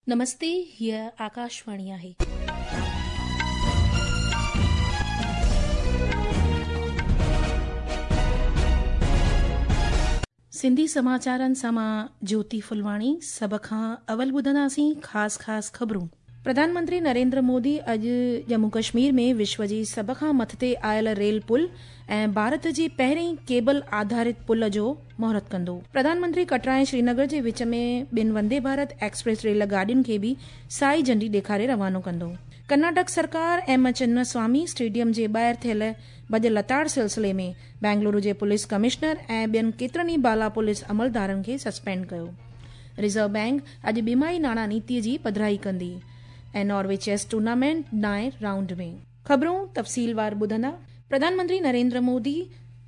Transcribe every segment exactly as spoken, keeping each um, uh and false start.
नमस्ते, हीअ आकाशवाणी आहे. सिंधी समाचारनि सां मां ज्योति फुलवाणी। सभ खां अवल ॿुधंदासीं ख़ासि ख़ासि ख़बरूं। प्रधानमंत्री नरेंद्र मोदी अॼु जम्मू कश्मीर में विश्व जी सभ खां मथिते आयल रेल पुल ऐं भारत जी पहिरीं केबल आधारित पुल जो मुहूर्त कंदो। प्रधानमंत्री कटरा ऐं श्रीनगर जे विच में ॿिनि वंदे भारत एक्सप्रेस रेल गाॾियुनि खे बि साई झंडी ॾेखारे रवानो कंदो। कर्नाटक सरकार एम चिन्नस्वामी स्टेडियम जे ॿाहिरि थियल भॼ लताड़ सिलसिले में बेंगलुरु जे पुलिस कमिश्नर ऐं ॿियनि केतिरनि ई बाला पुलिस अमलदारनि खे सस्पेंड कयो। रिज़र्व बैंक अॼु ॿिमाही नाणा नीति जी पधराई कंदी ऐं नॉर्वे चेस टूर्नामेंट नाए राउंड में। ख़बरूं तफ़सीलवार ॿुधंदा। प्रधानमंत्री नरेंद्र मोदी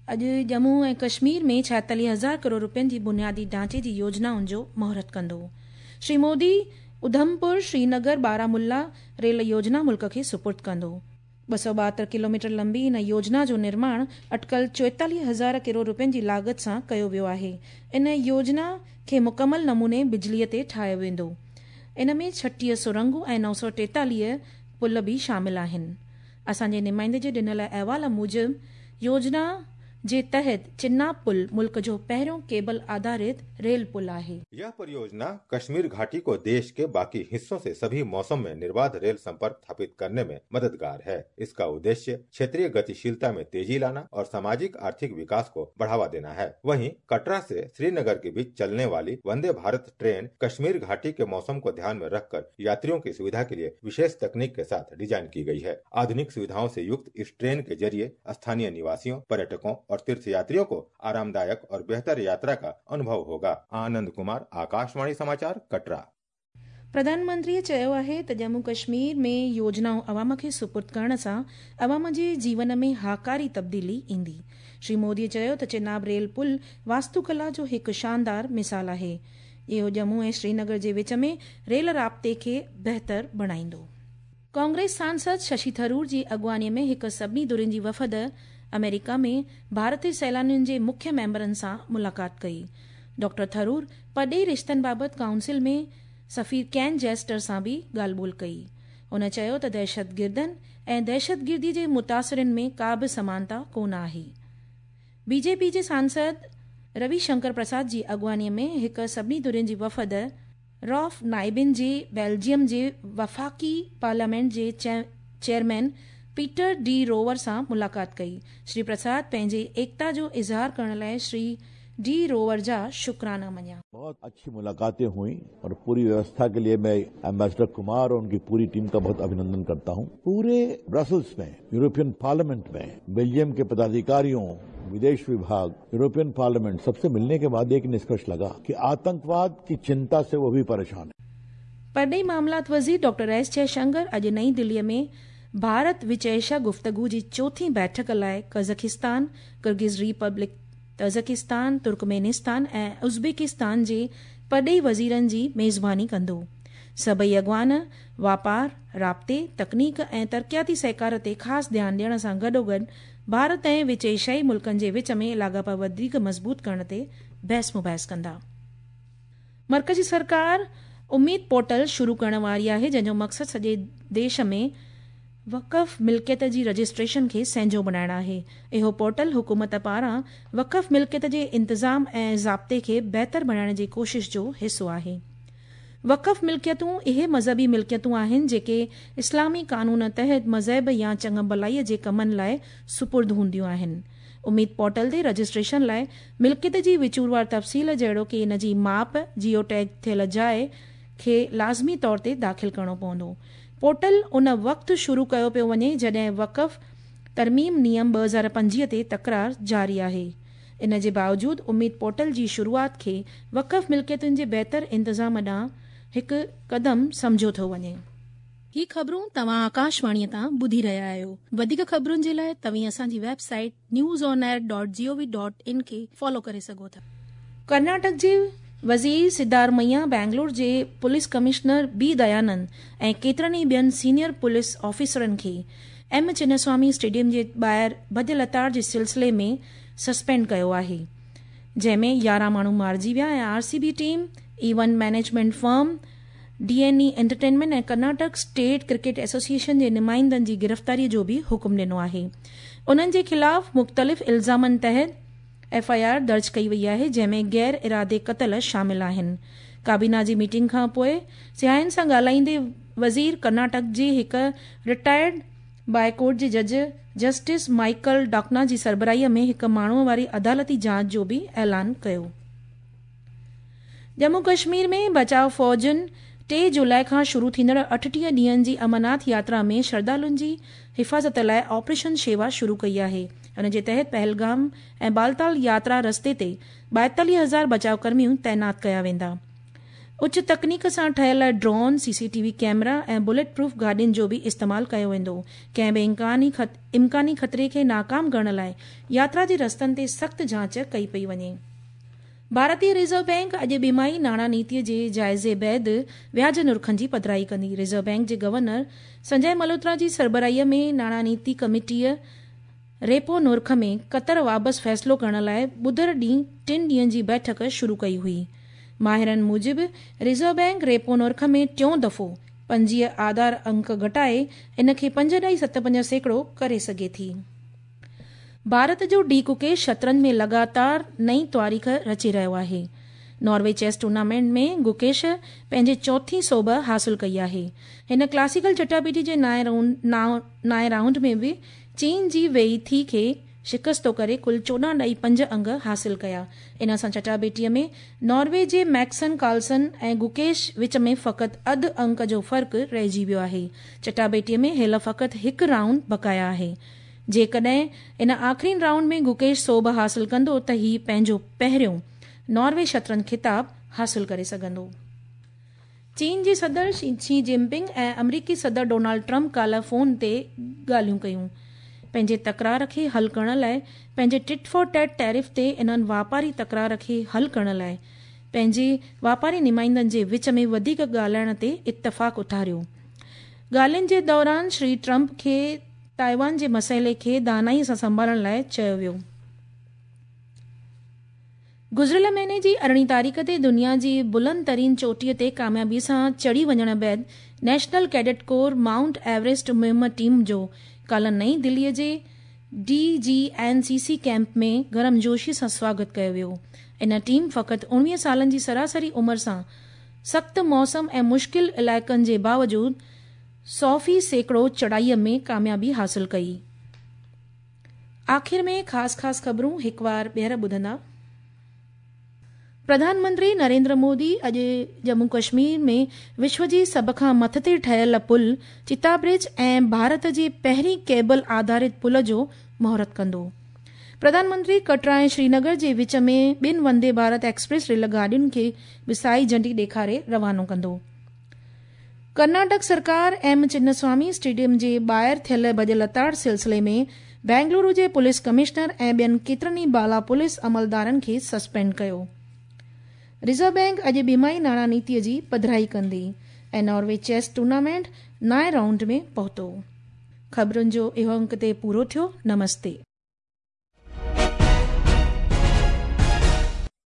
अॼु जम्मू ऐं कश्मीर में छाएतालीह हज़ार करोड़ रुपयनि जी बुनियादी ढांचे जी योजनाउनि जो मुहूर्त कंदो। श्री मोदी उधमपुर श्रीनगर बारामुल्ला रेल योजना मुल्क खे सुपुर्द कंदो। ॿ सौ ॿाहतरि किलोमीटर लंबी इन योजना जो निर्माण अटकल चोएतालीह हज़ार करोड़ रुपयनि जी लागत सां कयो वियो आहे। इन योजना खे मुकमल नमूने बिजलीअ ते ठाहियो वेंदो। इन में छटीह सुरंगूं ऐं नौ सौ टेतालीह पुल बि शामिल आहिनि। असांजे नुमाइंदे जे ॾिनल अहवाल मूजिबि योजना जे तहत चिन्नाब पुल मुल्क जो पहिरियों केबल आधारित रेल पुल आहे। यह परियोजना कश्मीर घाटी को देश के बाकी हिस्सों से सभी मौसम में निर्बाध रेल संपर्क स्थापित करने में मददगार है। इसका उद्देश्य क्षेत्रीय गतिशीलता में तेजी लाना और सामाजिक आर्थिक विकास को बढ़ावा देना है। वहीं कटरा से श्रीनगर के बीच चलने वाली वंदे भारत ट्रेन कश्मीर घाटी के मौसम को ध्यान में रखकर यात्रियों की सुविधा के लिए विशेष तकनीक के साथ डिजाइन की गयी है। आधुनिक सुविधाओं से युक्त इस ट्रेन के जरिए स्थानीय निवासियों, पर्यटकों और तीर्थयात्रियों को आरामदायक और बेहतर यात्रा का अनुभव होगा। आनंद कुमार, आकाशवाणी समाचार, कटरा। प्रधानमंत्री चयो आहे त जम्मू कश्मीर में योजनाऊं अवाम खे सुपुर्द करण सां अवाम जे जीवन में हाकारी तब्दीली ईंदी। श्री मोदी चयो त चिनाब रेल पुल वास्तुकला जो हिकु शानदार मिसाल आहे। इहो जम्मू ऐं श्रीनगर जे विच में रेल राब्ते खे बहितर बणाईंदो। कांग्रेस सांसद शशि थरूर जी अॻुवाणीअ में हिकु सभिनी धुरियुनि जी वफ़द अमेरिका में भारतीय सैलानियुनि जे मुख्य मेंबरनि सां मुलाक़ात कई। डॉक्टर थरूर परॾेही रिश्तनि बाबति काउंसिल में सफ़ीर can jester सां बि ॻाल्हि ॿोल कई। हुन चयो त दहशतगिर्दनि ऐं दहशतगिर्दी जे मुतासिरिन में का बि समानता कोन आहे। बीजेपी जे सांसद रविशंकर प्रसाद जी अॻुवाणीअ में हिकु सभिनी धुरियुनि जी वफ़द रॉफ नाइबिन जे बेल्जियम जे वफ़ाक़ी पार्लियामेंट जे चेयरमैन पीटर डी रोवर सां मुलाक़ात कई। श्री प्रसाद पंहिंजे एकता जो इज़हार करण लाइ श्री डी रोवर जा शुक्राना मञिया। बहुत अच्छी मुलाकातें हुई और पूरी व्यवस्था के लिए मैं एम्बेसडर कुमार और उनकी पूरी टीम का बहुत अभिनंदन करता हूं। पूरे ब्रसल्स में, यूरोपियन पार्लियामेंट में बेल्जियम के पदाधिकारियों, विदेश विभाग, यूरोपियन पार्लियामेंट, सबसे मिलने के बाद एक निष्कर्ष लगा कि आतंकवाद की चिंता से वो भी परेशान है। परॾेही मामलात वज़ीर डॉक्टर एस जयशंकर अॼु नई दिल्लीअ में भारत विच एशिया गुफ़्तगू जी चोथीं बैठक लाइ कज़ाकिस्तान, किर्गिज़ रिपब्लिक तज़किस्तान, तुर्कमेनिस्तान ऐं उज़्बेकिस्तान जे परॾेही वज़ीरनि जी मेज़बानी कंदो। सभई अॻवान वापार, राब्ते, तकनीक ऐं तरक़ियाती सहकार ते ख़ासि ध्यानु ॾियण सां गॾोगॾु भारत ऐं विच एशियाई मुल्कनि जे विच में लाॻापा वधीक मज़बूत करण ते बहस मुबाहिस कंदा। मर्कज़ी सरकार उम्मीद पोर्टल शुरू करण वारी आहे, जंहिंजो मक़सदु सॼे देश में वक़फ़ मिल्कियत जी रजिस्ट्रेशन खे सहंजो बणाइण आहे। इहो पोर्टल हुकूमत पारां वक़फ़ मिल्कियत जे इंतज़ाम ऐं ज़ाब्ते खे बहितर बणाइण जी कोशिश जो हिसो आहे। वक़फ़ मिल्कियतूं इहे मज़हबी मिल्कियतूं आहिनि जेके इस्लामी कानून तहत मज़हब या चङु भलाईअ जे कमनि लाइ सुपुर्द हूंदियूं आहिनि। उम्मीद पोर्टल ते रजिस्ट्रेशन लाइ मिल्कियत जी विचूरवार तफ़सील जहिड़ो की इन जी माप, जियो टैग थियल जाइ खे लाज़मी तौर ते दाख़िल करिणो पवंदो। पोर्टल उन वक़्तु शुरू कयो पियो वञे जॾहिं वक़फ़ तरमीम नियम ॿ हज़ार पंजवीह ते तकरार जारी आहे। इन जे बावजूद उम्मीद पोर्टल जी शुरूआत खे वक़फ़ मिल्कियतुनि जे बहितर इंतज़ाम ॾांहुं हिकु क़दम सम्झो थो वञे। ही ख़बरूं तव्हां आकाशवाणीअ तां ॿुधी रहिया आहियो। वधीक ख़बरुनि जे लाइ तव्हीं असांजी website news on air dot G O V dot in खे फॉलो करे सघो था। कर्नाटक जे वज़ीर सिद्धारमैया बेंगलोर जे पुलिस कमिश्नर बी दयानंद ऐं केतिरनि ई ॿियनि सीनियर पुलिस ऑफिसरनि खे एम चिन्नस्वामी स्टेडियम जे ॿाहिरि भॼ लताड़ जे सिलसिले में सस्पेंड कयो आहे, जंहिंमें यारहं माण्हू मारिजी विया ऐं R C B team, event management firm D N E entertainment ۽ Karnataka state cricket association جي نمائندن جي گرفتاري جو به حڪم ڏنو آهي. انهن جي خلاف مختلف الزامن تحت ايف I R درج ڪئي وئي آهي، جنهن ۾ غير ارادي قتل شامل آهن. ڪابينا جي ميٽنگ کان پوءِ سياحن سان ڳالهائيندي وزير ڪرناٽڪ جي هڪ رٽائرڊ باءِ ڪورٽ جي جج جسٽس مائيڪل ڊاڪنا جي سربراهي ۾ هڪ ماڻهوءَ واري عدالتي جاچ جو به اعلان ڪيو. ڄمون ڪشمير ۾ بچاءُ فوجن ٽي جولاءِ کان شروع ٿيندڙ اٺٽيهه ڏينهن جي امرناٿ ياترا ۾ شرڌالن جي حفاظت لاءِ آپريشن شيوا شروع ڪئي آهي. ان جي تحت پهلگام ۽ بالتال ياترا رستي تي ٻائيتاليهه هزار بچاءُ ڪرميون تعينات ڪيا ويندا. اچ تڪنيڪ سان ٺهيل drone, C C T V camera ۽ bullet proof گاڏين جو به استعمال ڪيو ويندو. ڪنهن به امڪاني خطري کي ناڪام ڪرڻ لاءِ ياترا جي رستن تي سخت جاچ ڪئي پئي وڃي. ڀارتيه رزرو بينڪ اڄ ٻماهي ناڻا نيتي جي جائزي بعد وياج نرخن جي پڌرائي ڪندي. رزرو بينڪ جي گورنر سنجي ملهوترا جي سربراهي ۾ ناڻا نيتي ڪميٽيءَ ريپو نرخ ۾ قطر واپس فيصلو ڪرڻ لاءِ ٻڌر ڏينهن ٽن ڏينهن جي بيٺڪ شروع ڪئي هئي. ماهرن موجب رزرو بينڪ ريپو نرخ ۾ ٽيون دفعو پنجويهه آڌار انڪ گهٽائي ان کي پنج ڏهائي ست پنج سيڪڙو ڪري سگهي ٿي. ڀارت جو ڊي گڪيش شطرنج ۾ لڳاتار نئين تاريخ رچي رهيو آهي. ناروي چيس ٽورنامينٽ ۾ گڪيش پنهنجي چوٿين سوڀ حاصل ڪئي آهي. هن ڪلاسيڪل چٽاڀيٽي جي نائين رائونڊ ۾ به چين جي ويئي ٿي کي شڪست ڪري ڪل چوڏهن ڏهائي پنج انگ حاصل ڪيا. ان سان چٽاڀيٽيءَ ۾ ناروي جي ميڪسن ڪارلسن ۽ گڪيش وچ ۾ فقط اڌ انڪ جو فرق رهجي ويو آهي. چٽاڀيٽيءَ ۾ هيل فقط هڪ رائونڊ بقايا آهي. جيڪڏهن ان آخرين رائونڊ ۾ گڪيش سوڀ حاصل ڪندو ته هي پنهنجو پهريون ناروي شطرنج خطاب حاصل ڪري سگهندو. چين جي صدر شي جن پنگ ۽ آمريڪي صدر ڊونالڊ ٽرمپ ڪالهه فون تي ڳالهيون ڪيون. پنهنجي تڪرار کي حل ڪرڻ لاءِ پنهنجي ٽٽ فار ٽيٽ ٽيرف تي انهن واپاري تڪرار کي حل ڪرڻ لاءِ پنهنجي واپاري نمائندن جي وچ ۾ وڌيڪ ڳالهائڻ تي اتفاق اٿاريو. ڳالهين جي دوران شري ٽرمپ کي تائيوان جي مسئلي کي دانائي سان سنڀالڻ لاءِ چيو ويو. گذريل مهيني جي ارڙهين تاريخ تي دنيا جي بلند ترين چوٽيءَ تي ڪاميابي سان چڙهي وڃڻ بعد national cadet corps mount Everest مهم ٽيم جو ڪالهه نئين دليءَ جي D G N C C camp ۾ گرمجوشي سان سواگت ڪيو ويو. ان ٽيم فقط اڻويهه سالن جي سراسري عمر سان سخت موسم ۽ مشڪل علائقن جي باوجود سؤ في سيڪڙو چڙهائيءَ ۾ ڪاميابي حاصل ڪئي. آخر ۾ خاص خاص خبرون هڪ وار ٻيهر ٻڌندا. پرڌان منتري نريندر مودي اڄ ڄمون ڪشمير ۾ وشو جي سڀ کان مٿتي ٺهيل پل چتا برج ۽ ڀارت جي پهرين ڪيبل آڌارت پل جو مهورت ڪندو. پرڌان منتري ڪٽرا ۽ شرينگر جي وچ ۾ ٻن وندي ڀارت ايڪسپريس ريل گاڏين کي به سائي جهنڊي ڏيکاري روانو ڪندو. ڪرناٽڪ سرڪار ايم چنسوامي اسٽيڊيم جي ٻاهر ٿيل ڀڄ لتاڙ سلسلي ۾ بينگلورو جي پوليس ڪمشنر ۽ ٻين ڪيترن ئي بالا پوليس عملدارن کي سسپينڊ ڪيو. رزرو بينڪ اڄ ٻماهي ناڻا نيتيءَ جي پڌرائي ڪندي ۽ ناروي چيس ٽورنامينٽ نائين رائونڊ ۾ پهتو. خبرن جو اهو انڪ تي پورو ٿيو. نمستي.